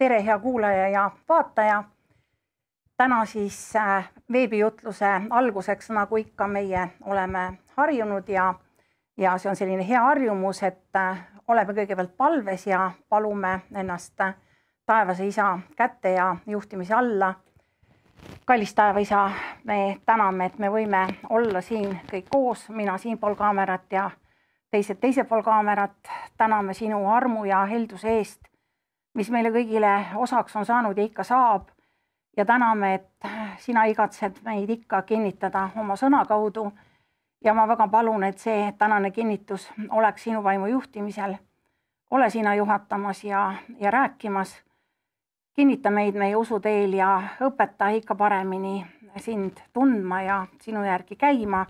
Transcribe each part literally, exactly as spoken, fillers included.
tere, hea kuulaja ja vaataja. Täna siis veebijutluse alguseks, nagu ikka meie oleme harjunud ja, ja see on selline hea harjumus, et oleme kõigepealt palves ja palume ennast taevase isa kätte ja juhtimise alla. Kallis taeva isa, me täname, et me võime olla siin kõik koos, mina siinpool kaamerat ja teised teisel pool kaamerat. Täname sinu armu ja helduse eest, mis meile kõigile osaks on saanud ja ikka saab. Ja täname, et sina igatsed meid ikka kinnitada oma sõna kaudu. Ja ma väga palun, et see tänane kinnitus oleks sinu vaimu juhtimisel. Ole sina juhatamas ja, ja rääkimas. Kinnita meid meie usuteel ja õpeta ikka paremini sind tundma ja sinu järgi käima.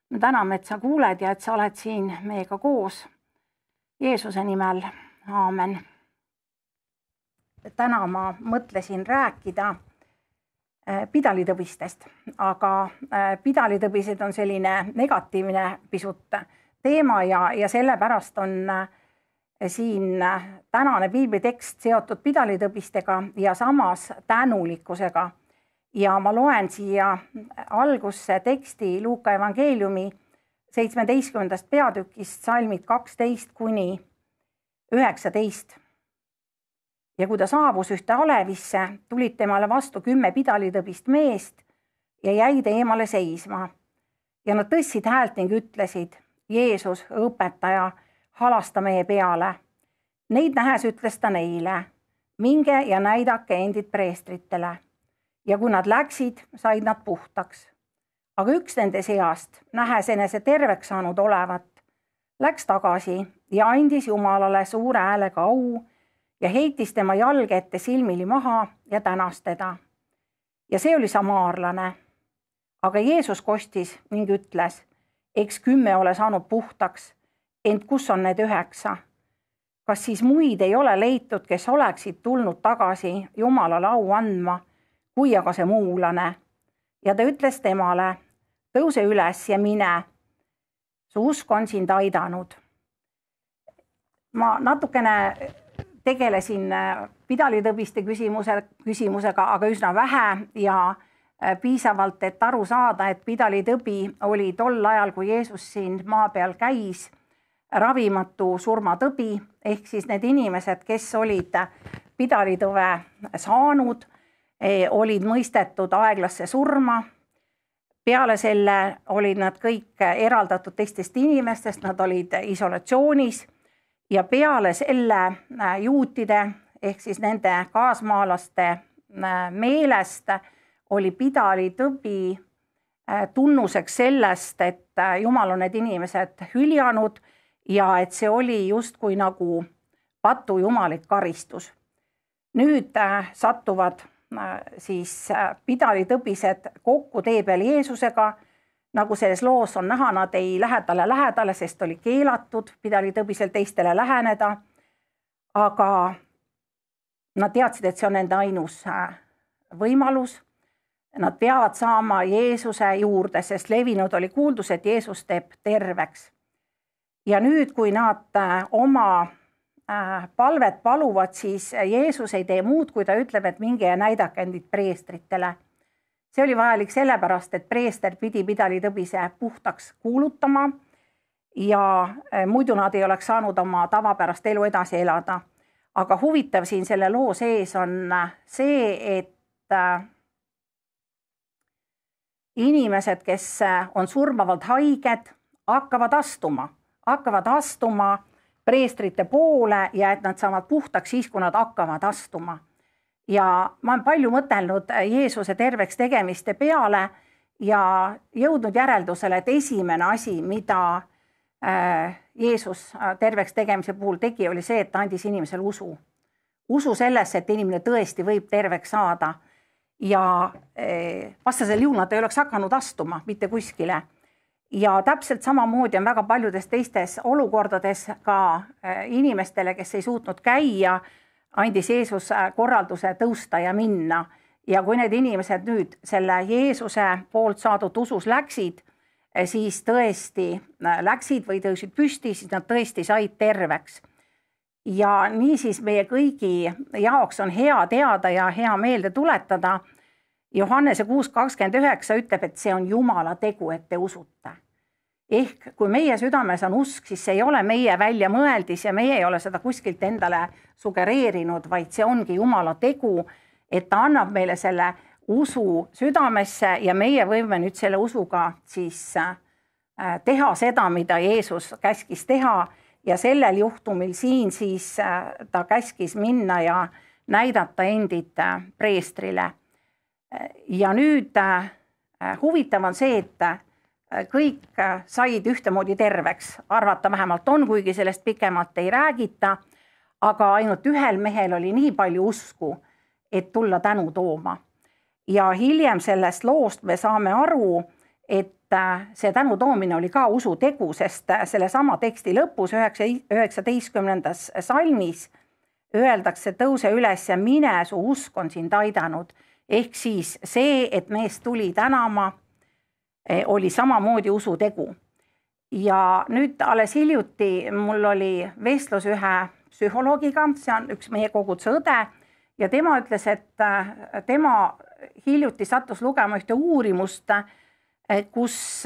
Me täname, et sa kuuled ja et sa oled siin meiega koos. Jeesuse nimel. Aamen. Täna ma mõtlesin rääkida pidalitõbistest, aga pidalitõbised on selline negatiivne pisut teema ja, ja sellepärast on siin tänane piiblitekst seotud pidalitõbistega ja samas tänulikkusega. Ja ma loen siia algusse teksti Luuka evangeeliumi seitsmeteistkümnendast peatükist salmid kaksteist kuni üheksateist. Ja kui ta saabus ühte alevisse, tulid temale vastu kümme pidalitõbist meest ja jäid eemale seisma. Ja nad tõstsid häält ning ütlesid, Jeesus, õpetaja, halasta meie peale. Neid nähes ütles ta neile, minge ja näidake endid preestritele. Ja kui nad läksid, said nad puhtaks. Aga üks nende seast, nähes enese terveks saanud olevat, läks tagasi ja andis Jumalale suure häälega au ja heitis tema jalge ette silmili maha ja tänas teda. Ja see oli samaarlane. Aga Jeesus kostis ning ütles, eks kümme ole saanud puhtaks, ent kus on need üheksa? Kas siis muid ei ole leitud, kes oleksid tulnud tagasi Jumalale au andma, kui aga see muulane? Ja ta ütles temale, tõuse üles ja mine. Su usk on sind aidanud. Ma natukene tegelesin pidalitõbiste küsimuse, küsimusega, aga üsna vähe ja piisavalt, et aru saada, et pidalitõbi oli tol ajal, kui Jeesus siin maa peal käis, ravimatu surmatõbi, ehk siis need inimesed, kes olid pidalitõve saanud, olid mõistetud aeglasse surma. Peale selle olid nad kõik eraldatud teistest inimestest, nad olid isolatsioonis. Ja peale selle juutide ehk siis nende kaasmaalaste meelest oli pidalitõbi tunnuseks sellest, et Jumal on need inimesed hüljanud ja et see oli justkui nagu patu jumalik karistus. Nüüd sattuvad siis pidalitõbised kokku tee peal Jeesusega. Nagu selles loos on näha, nad ei lähe talle lähedale, sest oli keelatud pidalitõbisel teistele läheneda. Aga nad teadsid, et see on nende ainus võimalus. Nad peavad saama Jeesuse juurde, sest levinud oli kuuldus, et Jeesus teeb terveks. Ja nüüd, kui nad oma palvet paluvad, siis Jeesus ei tee muud, kui ta ütleb, et minge ja näidake endid preestritele. See oli vajalik sellepärast, et preester pidi pidalitõbise puhtaks kuulutama ja muidu nad ei oleks saanud oma tavapärast elu edasi elada. Aga huvitav siin selle loo sees on see, et inimesed, kes on surmavalt haiged, hakkavad astuma, hakkavad astuma preestrite poole ja et nad saavad puhtaks siis, kui nad hakkavad astuma. Ja ma olen palju mõtelnud Jeesuse terveks tegemiste peale ja jõudnud järeldusele, et esimene asi, mida Jeesus terveks tegemise puhul tegi, oli see, et ta andis inimesele usu. Usu sellesse, et inimene tõesti võib terveks saada ja vastasel juhul nad ei oleks hakanud astuma mitte kuskile. Ja täpselt samamoodi on väga paljudes teistes olukordades ka inimestele, kes ei suutnud käia, andis Jeesus korralduse tõusta ja minna. Ja kui need inimesed nüüd selle Jeesuse poolt saadud usus läksid, siis tõesti läksid või tõusid püsti, siis nad tõesti said terveks. ja niisiis meie kõigi jaoks on hea teada ja hea meelde tuletada. Johannese kuus kakskümmend üheksa ütleb, et see on Jumala tegu, et te usute. Ehk kui meie südames on usk, siis see ei ole meie välja mõeldis ja meie ei ole seda kuskilt endale sugereerinud, vaid see ongi Jumala tegu, et ta annab meile selle usu südamesse ja meie võime nüüd selle usuga siis teha seda, mida Jeesus käskis teha ja sellel juhtumil siin siis ta käskis minna ja näidata endid preestrile. Ja nüüd huvitav on see, et kõik said ühtemoodi terveks, arvata vähemalt on, kuigi sellest pikemalt ei räägita, aga ainult ühel mehel oli nii palju usku, et tulla tänu tooma. Ja hiljem sellest loost me saame aru, et see tänu toomine oli ka usutegu, sest selle sama teksti lõpus üheksateistkümnendas salmis öeldakse, tõuse üles ja mine, su usk on sind aidanud. Ehk siis see, et mees tuli tänama, oli samamoodi usutegu. Ja nüüd alles hiljuti mul oli vestlus ühe psühholoogiga, see on üks meie koguduse õde, ja tema ütles, et tema hiljuti sattus lugema ühte uurimust, kus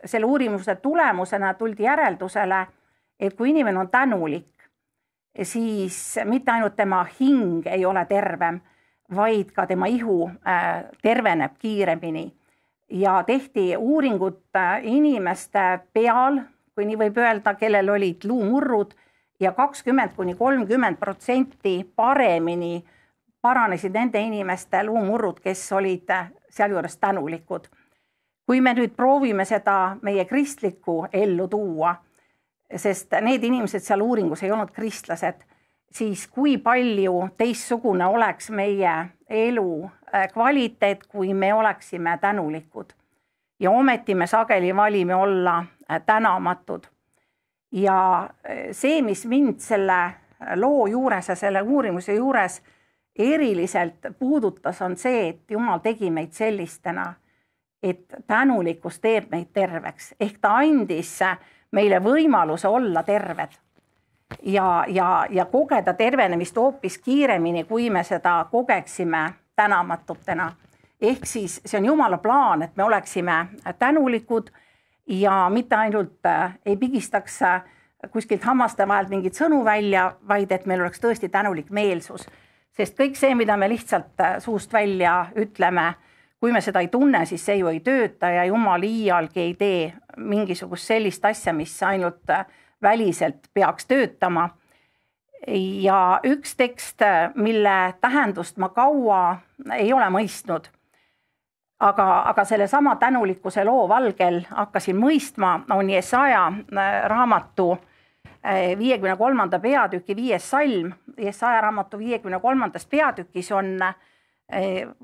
selle uurimuse tulemusena tuldi järeldusele, et kui inimene on tänulik, siis mitte ainult tema hing ei ole tervem, vaid ka tema ihu terveneb kiiremini. Ja tehti uuringut inimeste peal, kui nii võib öelda, kellel olid luumurrud ja kakskümmend kuni kolmkümmend protsenti paremini paranesid nende inimeste luumurrud, kes olid sealjuures tänulikud. Kui me nüüd proovime seda meie kristlikku ellu tuua, sest need inimesed seal uuringus ei olnud kristlased, siis kui palju teistsugune oleks meie elu kvaliteet, kui me oleksime tänulikud. Ja ometi me sageli valime olla tänamatud. Ja see, mis mind selle loo juures ja selle uurimuse juures eriliselt puudutas, on see, et Jumal tegi meid sellistena, et tänulikkus teeb meid terveks. Ehk ta andis meile võimaluse olla terved ja, ja, ja kogeda tervenemist hoopis kiiremini, kui me seda kogeksime tänamatutena. Ehk siis see on Jumala plaan, et me oleksime tänulikud ja mitte ainult ei pigistaks kuskilt hammaste vahelt mingit sõnu välja, vaid et meil oleks tõesti tänulik meelsus. Sest kõik see, mida me lihtsalt suust välja ütleme, kui me seda ei tunne, siis see ju ei tööta ja Jumal iialgi ei tee mingisugust sellist asja, mis ainult väliselt peaks töötama. Ja üks tekst, mille tähendust ma kaua ei ole mõistnud, aga, aga selle sama tänulikkuse loo valgel hakkasin mõistma, on Jesaja raamatu viiekümne kolmanda peatüki viies salm. Jesaja raamatu viiekümne kolmandas peatükis on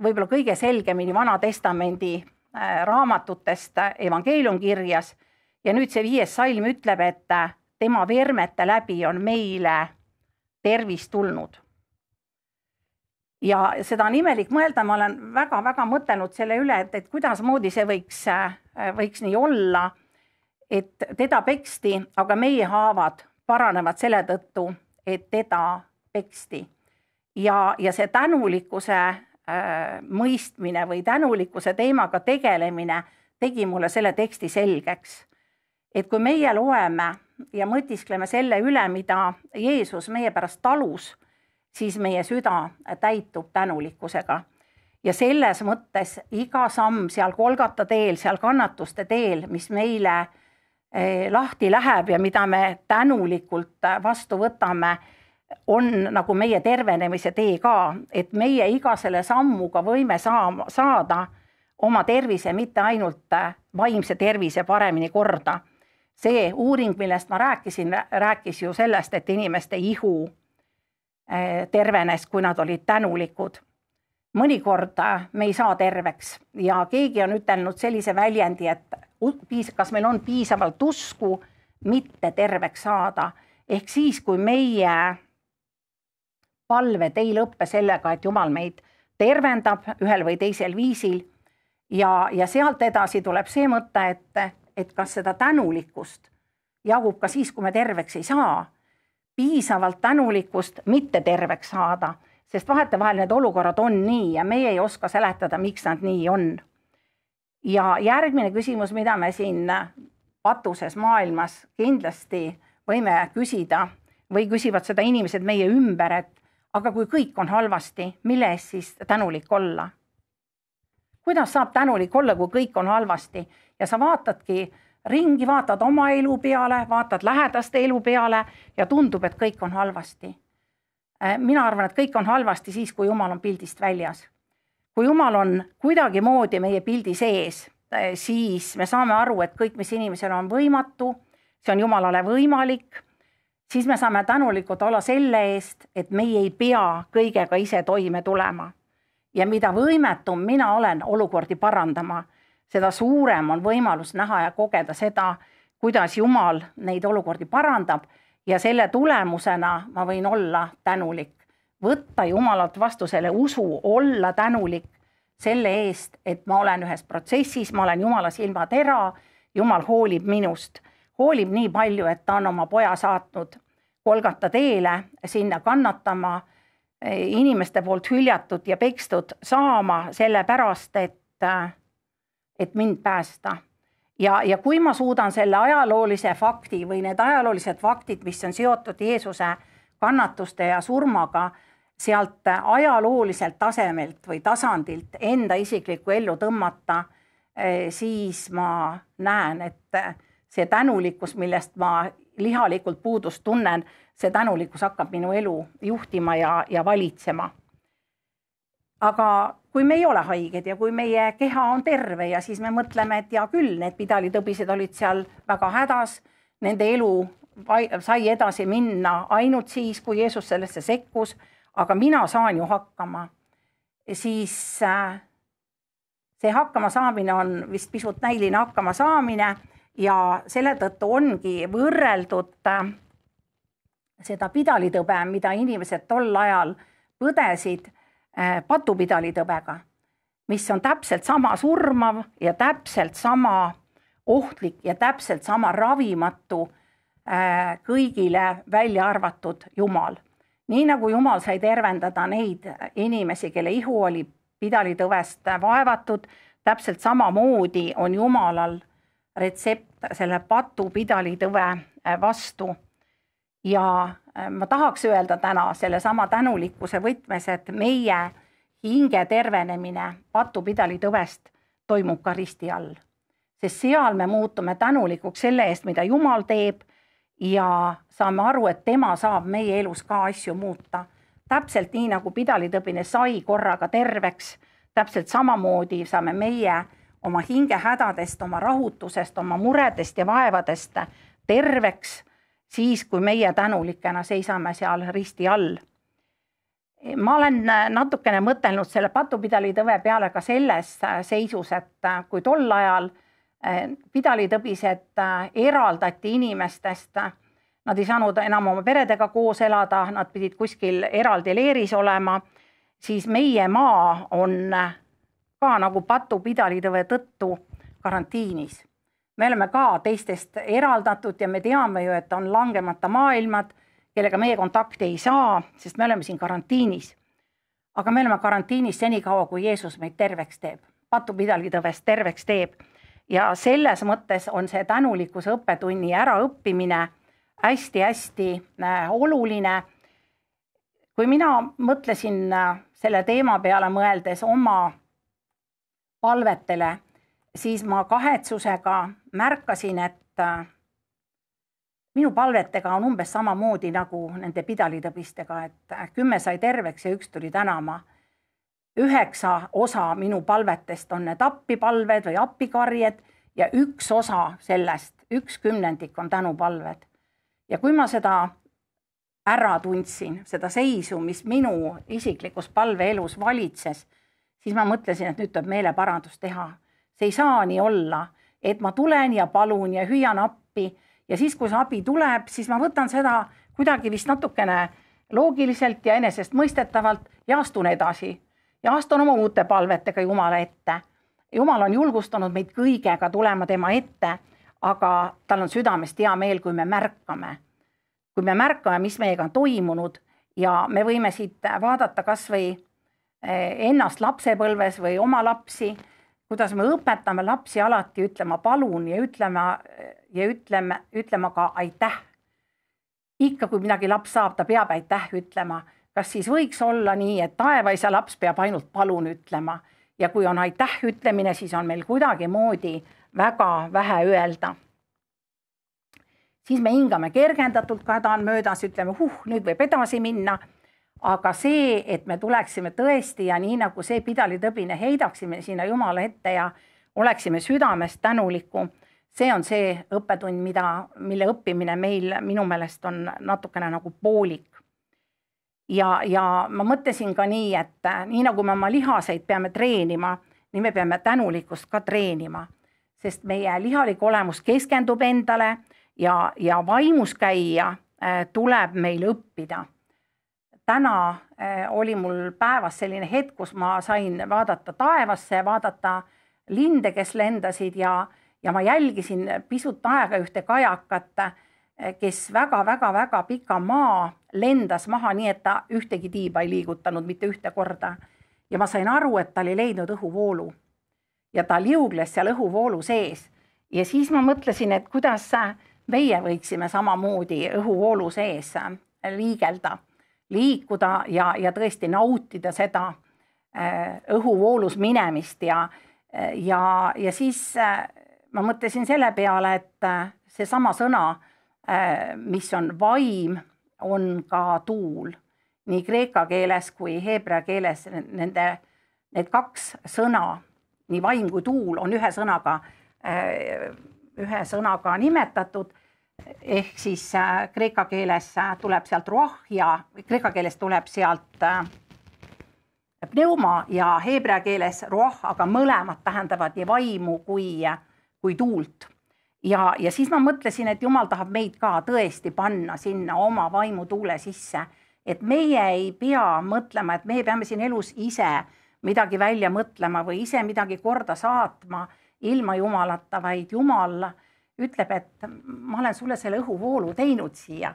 võib-olla kõige selgemini Vana Testamendi raamatutest evangeelium kirjas. Ja nüüd see viies salm ütleb, et tema vermete läbi on meile tervis tulnud. Ja seda on imelik mõelda, ma olen väga-väga mõtelnud selle üle, et, et kuidas moodi see võiks, võiks nii olla, et teda peksti, aga meie haavad paranevad selle tõttu, et teda peksti. Ja, ja see tänulikkuse äh, mõistmine või tänulikkuse teemaga tegelemine tegi mulle selle teksti selgeks. Et kui meie loeme ja mõtiskleme selle üle, mida Jeesus meie pärast talus, siis meie süda täitub tänulikkusega. Ja selles mõttes iga samm seal Golgata teel, seal kannatuste teel, mis meile eh, lahti läheb ja mida me tänulikult vastu võtame, on nagu meie tervenemise tee ka, et meie iga selle sammuga võime saama, saada oma tervise, mitte ainult vaimse tervise paremini korda. See uuring, millest ma rääkisin, rääkis ju sellest, et inimeste ihu tervenes, kui nad olid tänulikud. Mõnikord me ei saa terveks ja keegi on ütelnud sellise väljendi, et kas meil on piisavalt usku mitte terveks saada. Ehk siis, kui meie palved ei lõppe sellega, et Jumal meid tervendab ühel või teisel viisil ja, ja sealt edasi tuleb see mõte, et, et kas seda tänulikkust jagub ka siis, kui me terveks ei saa. piisavalt tänulikkust mitte terveks saada, sest vahetevahel need olukorrad on nii ja meie ei oska seletada, miks nad nii on. Ja järgmine küsimus, mida me siin patuses maailmas kindlasti võime küsida või küsivad seda inimesed meie ümber, et aga kui kõik on halvasti, mille eest siis tänulik olla? Kuidas saab tänulik olla, kui kõik on halvasti? Ja sa vaatadki ringi, vaatad oma elu peale, vaatad lähedaste elu peale ja tundub, et kõik on halvasti. Mina arvan, et kõik on halvasti siis, kui Jumal on pildist väljas. Kui Jumal on kuidagi moodi meie pildi sees, siis me saame aru, et kõik, mis inimesel on võimatu, see on Jumalale võimalik, siis me saame tänulikud olla selle eest, et meie ei pea kõigega ise toime tulema. Ja mida võimetum mina olen olukordi parandama, seda suurem on võimalus näha ja kogeda seda, kuidas Jumal neid olukordi parandab ja selle tulemusena ma võin olla tänulik. Võtta Jumalalt vastu selle usu, olla tänulik selle eest, et ma olen ühes protsessis, ma olen Jumala silmatera, Jumal hoolib minust. Hoolib nii palju, et ta on oma poja saatnud Golgata teele, sinna kannatama, inimeste poolt hüljatud ja pekstud saama selle pärast, et, et mind päästa. Ja, ja kui ma suudan selle ajaloolise fakti või need ajaloolised faktid, mis on seotud Jeesuse kannatuste ja surmaga, sealt ajalooliselt tasemelt või tasandilt enda isiklikku ellu tõmmata, siis ma näen, et see tänulikkus, millest ma lihalikult puudust tunnen, see tänulikkus hakkab minu elu juhtima ja, ja valitsema. Aga kui me ei ole haiged ja kui meie keha on terve ja siis me mõtleme, et ja küll, need pidalitõbised olid seal väga hädas, nende elu sai edasi minna ainult siis, kui Jeesus sellesse sekkus, aga mina saan ju hakkama. Siis see hakkama saamine on vist pisut näiline hakkama saamine ja selle tõttu ongi võrreldud seda pidalitõbe, mida inimesed tol ajal põdesid patupidalitõbega, mis on täpselt sama surmav ja täpselt sama ohtlik ja täpselt sama ravimatu kõigile välja arvatud Jumal. Nii nagu Jumal sai tervendada neid inimesi, kelle ihu oli pidalitõvest vaevatud, täpselt samamoodi on Jumalal retsept selle patu pidalitõve vastu. Ja ma tahaks öelda täna selle sama tänulikkuse võtmes, et meie hinge tervenemine patu pidalitõvest toimub ka risti all. Sest seal me muutume tänulikuks selle eest, mida Jumal teeb ja saame aru, et tema saab meie elus ka asju muuta. Täpselt nii, nagu pidalitõbine sai korraga terveks, täpselt samamoodi saame meie oma hinge hädadest, oma rahutusest, oma muredest ja vaevadest terveks, siis kui meie tänulikena seisame seal risti all. Ma olen natukene mõtelnud selle patupidalitõve peale ka selles seisus, et kui tol ajal pidalitõbised eraldati inimestest, nad ei saanud enam oma peredega koos elada, nad pidid kuskil eraldi leeris olema, siis meie maa on ka nagu patupidalitõve tõttu karantiinis. Me oleme ka teistest eraldatud ja me teame ju, et on langemata maailmad, kellega meie kontakti ei saa, sest me oleme siin karantiinis. Aga me oleme karantiinis senikaua, kui Jeesus meid terveks teeb, patupidalitõvest terveks teeb. Ja selles mõttes on see tänulikkuse õppetunni äraõppimine hästi-hästi oluline. Kui mina mõtlesin selle teema peale mõeldes oma palvetele, siis ma kahetsusega märkasin, et minu palvetega on umbes samamoodi nagu nende pidalitõbistega, et kümme sai terveks ja üks tuli tänama. Üheksa osa minu palvetest on need appipalved või appikarjed ja üks osa sellest, üks kümnendik on tänupalved. Ja kui ma seda ära tundsin, seda seisu, mis minu isiklikus palveelus valitses, siis ma mõtlesin, et nüüd tuleb meeleparandus teha. See ei saa nii olla, et ma tulen ja palun ja hüüan appi ja siis, kui see abi tuleb, siis ma võtan seda kuidagi vist natukene loogiliselt ja enesest mõistetavalt ja astun edasi. Ja astun oma uute palvetega Jumala ette. Jumal on julgustanud meid kõigega tulema tema ette, aga tal on südamest hea meel, kui me märkame kui me märkame, mis meiega on toimunud ja me võime siit vaadata kas või ennast lapsepõlves või oma lapsi, kuidas me õpetame lapsi alati ütlema palun ja ütlema, ja ütleme, ütlema ka aitäh. Ikka kui midagi laps saab, ta peab aitäh ütlema. Kas siis võiks olla nii, et taevaisa laps peab ainult palun ütlema ja kui on aitäh ütlemine, siis on meil kuidagi moodi väga vähe öelda. Siis me hingame kergendatult, kui häda on möödas, ütleme, huh, nüüd võib edasi minna. Aga see, et me tuleksime tõesti ja nii nagu see pidalitõbine heidaksime sinna Jumala ette ja oleksime südamest tänuliku, see on see õppetund, mida, mille õppimine meil minu meelest on natukene nagu poolik. Ja, ja ma mõtlesin ka nii, et nii nagu me oma lihaseid peame treenima, nii me peame tänulikkust ka treenima, sest meie lihalik olemus keskendub endale ja, ja vaimus käia tuleb meil õppida. Täna oli mul päevas selline hetk, kus ma sain vaadata taevasse, vaadata linde, kes lendasid ja, ja ma jälgisin pisut aega ühte kajakat, kes väga-väga-väga pika maa lendas maha, nii et ta ühtegi tiiba ei liigutanud, mitte ühte korda. Ja ma sain aru, et ta oli leidnud õhuvoolu ja ta liugles seal õhuvoolu sees. Ja siis ma mõtlesin, et kuidas meie võiksime samamoodi õhuvoolu sees liigelda. liikuda ja, ja tõesti nautida seda õhuvoolus minemist ja, ja, ja siis ma mõtlesin selle peale, et see sama sõna, mis on vaim, on ka tuul. Nii kreeka keeles kui heebrea keeles nende, need kaks sõna, nii vaim kui tuul, on ühe sõnaga, ühe sõnaga nimetatud. Ehk siis kreeka keeles tuleb sealt ruah ja kreeka keeles tuleb sealt pneuma ja heebrea keeles ruah, aga mõlemad tähendavad nii vaimu kui, kui tuult. Ja, ja siis ma mõtlesin, et Jumal tahab meid ka tõesti panna sinna oma vaimu tuule sisse, et meie ei pea mõtlema, et meie peame siin elus ise midagi välja mõtlema või ise midagi korda saatma ilma Jumalata, vaid Jumal ütleb, et ma olen sulle selle õhuvoolu teinud siia.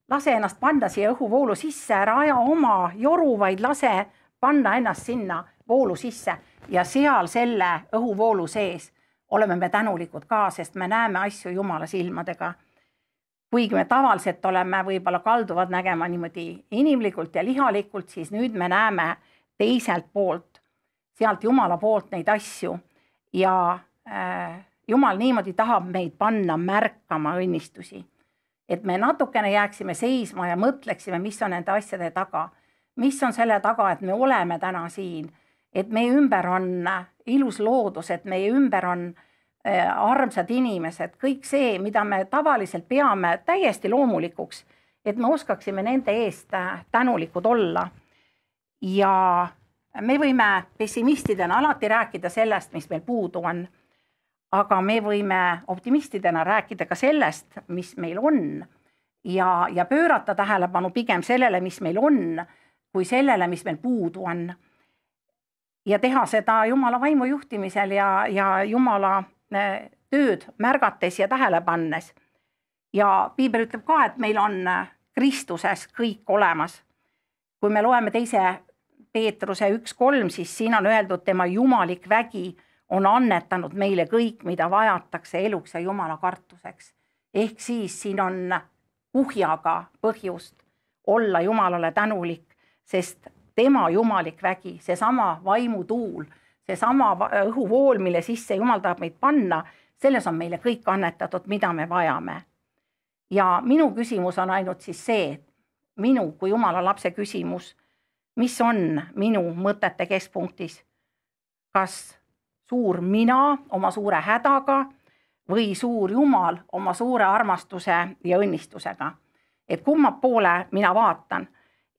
Lase ennast panna siia õhuvoolu sisse, ära aja oma joru, vaid lase panna ennast sinna voolu sisse. Ja seal selle õhuvoolu sees oleme me tänulikud ka, sest me näeme asju Jumala silmadega. Kuigi me tavaliselt oleme võib-olla kalduvad nägema niimoodi inimlikult ja lihalikult, siis nüüd me näeme teiselt poolt, sealt Jumala poolt neid asju ja äh, Jumal niimoodi tahab meid panna märkama õnnistusi, et me natukene jääksime seisma ja mõtleksime, mis on nende asjade taga, mis on selle taga, et me oleme täna siin, et meie ümber on ilus loodus, et meie ümber on armsad inimesed, kõik see, mida me tavaliselt peame täiesti loomulikuks, et me oskaksime nende eest tänulikud olla. Ja me võime pessimistidena alati rääkida sellest, mis meil puudu on, aga me võime optimistidena rääkida ka sellest, mis meil on ja, ja pöörata tähelepanu pigem sellele, mis meil on, kui sellele, mis meil puudu on. Ja teha seda Jumala vaimu juhtimisel ja, ja Jumala tööd märgates ja tähele pannes. Ja Piibel ütleb ka, et meil on Kristuses kõik olemas. Kui me loeme teise Peetruse üks kolm, siis siin on öeldud tema jumalik vägi on annetanud meile kõik, mida vajatakse eluks ja Jumala kartuseks. Ehk siis siin on kuhjaga põhjust olla Jumalale tänulik, sest tema jumalik vägi, see sama vaimutuul, see sama õhuvool, mille sisse Jumal tahab meid panna, selles on meile kõik annetatud, mida me vajame. Ja minu küsimus on ainult siis see, minu kui Jumala lapse küsimus, mis on minu mõtete keskpunktis, kas suur mina oma suure hädaga või suur Jumal oma suure armastuse ja õnnistusega. Et kumma poole mina vaatan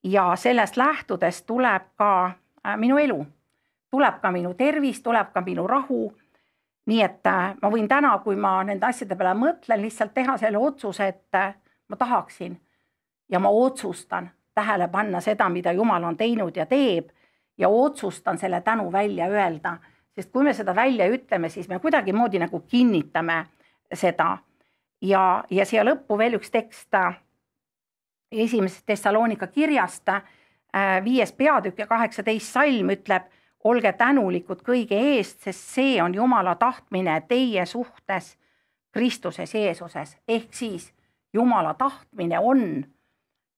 ja sellest lähtudes tuleb ka minu elu, tuleb ka minu tervis, tuleb ka minu rahu. Nii et ma võin täna, kui ma nende asjade peale mõtlen, lihtsalt teha selle otsuse, et ma tahaksin ja ma otsustan tähele panna seda, mida Jumal on teinud ja teeb ja otsustan selle tänu välja öelda. Sest kui me seda välja ütleme, siis me kuidagi moodi nagu kinnitame seda. Ja, ja siia lõppu veel üks tekst esimesest Thessalonika kirjast viies peatükk ja kaheksateist salm ütleb, olge tänulikud kõige eest, sest see on Jumala tahtmine teie suhtes Kristuses Jeesuses. Ehk siis Jumala tahtmine on,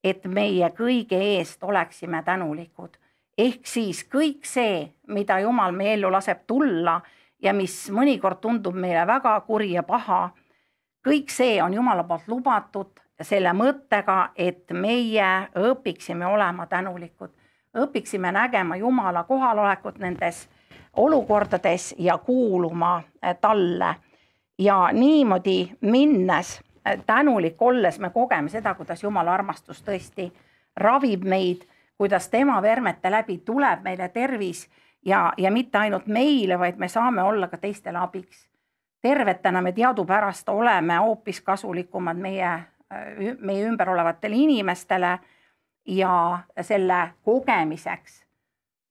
et meie kõige eest oleksime tänulikud. Ehk siis kõik see, mida Jumal meie ellu laseb tulla ja mis mõnikord tundub meile väga kuri ja paha, kõik see on Jumala poolt lubatud selle mõttega, et meie õpiksime olema tänulikud. Õpiksime nägema Jumala kohalolekut nendes olukordades ja kuuluma talle. Ja niimoodi minnes, tänulik olles me kogeme seda, kuidas Jumala armastus tõesti ravib meid, kuidas tema vermete läbi tuleb meile tervis ja, ja mitte ainult meile, vaid me saame olla ka teistele abiks. Tervetena me teadupärast oleme hoopis kasulikumad meie, meie ümber olevatele inimestele ja selle kogemiseks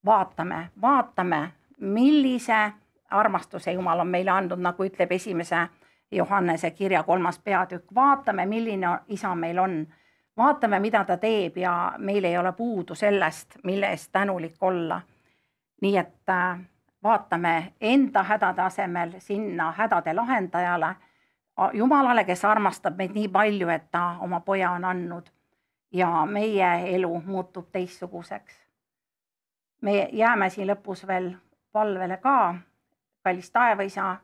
vaatame, vaatame, millise armastuse Jumal on meile andnud, nagu ütleb esimese Johannese kirja kolmas peatükk. Vaatame, milline isa meil on. Vaatame, mida ta teeb ja meil ei ole puudu sellest, mille eest tänulik olla. Nii et vaatame enda hädade asemel sinna hädade lahendajale, Jumalale, kes armastab meid nii palju, et ta oma poja on andnud ja meie elu muutub teistsuguseks. Me jääme siin lõpus veel palvele ka. Kallis taevaisa,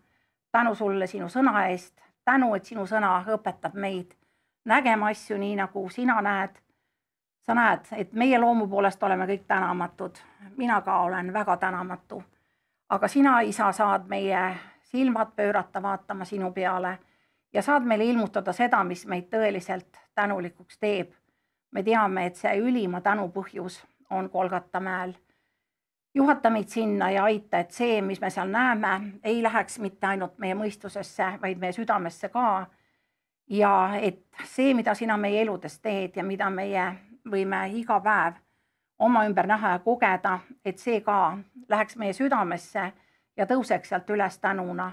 tänu sulle sinu sõna eest, tänu, et sinu sõna õpetab meid nägema asju nii, nagu sina näed. Sa näed, et meie loomu poolest oleme kõik tänamatud. Mina ka olen väga tänamatu. Aga sina, isa, saad meie silmad pöörata vaatama sinu peale ja saad meile ilmutada seda, mis meid tõeliselt tänulikuks teeb. Me teame, et see ülima tänu põhjus on Golgata mäel. Juhata meid sinna ja aita, et see, mis me seal näeme, ei läheks mitte ainult meie mõistusesse, vaid meie südamesse ka. Ja et see, mida sina meie eludes teed ja mida meie võime iga päev oma ümber näha ja kogeda, et see ka läheks meie südamesse ja tõuseks sealt üles tänuna.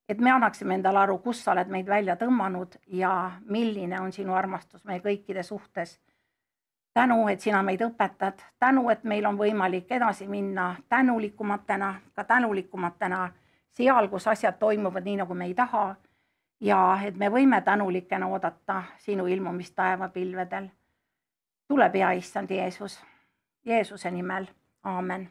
Et me annaksime endale aru, kus sa oled meid välja tõmmanud ja milline on sinu armastus meie kõikide suhtes. Tänu, et sina meid õpetad, tänu, et meil on võimalik edasi minna tänulikumatena, ka tänulikumatena seal, kus asjad toimuvad nii, nagu me ei taha ja et me võime tänulikena oodata sinu ilmumist taevapilvedel. Tule pea, issand Jeesus, Jeesuse nimel, aamen.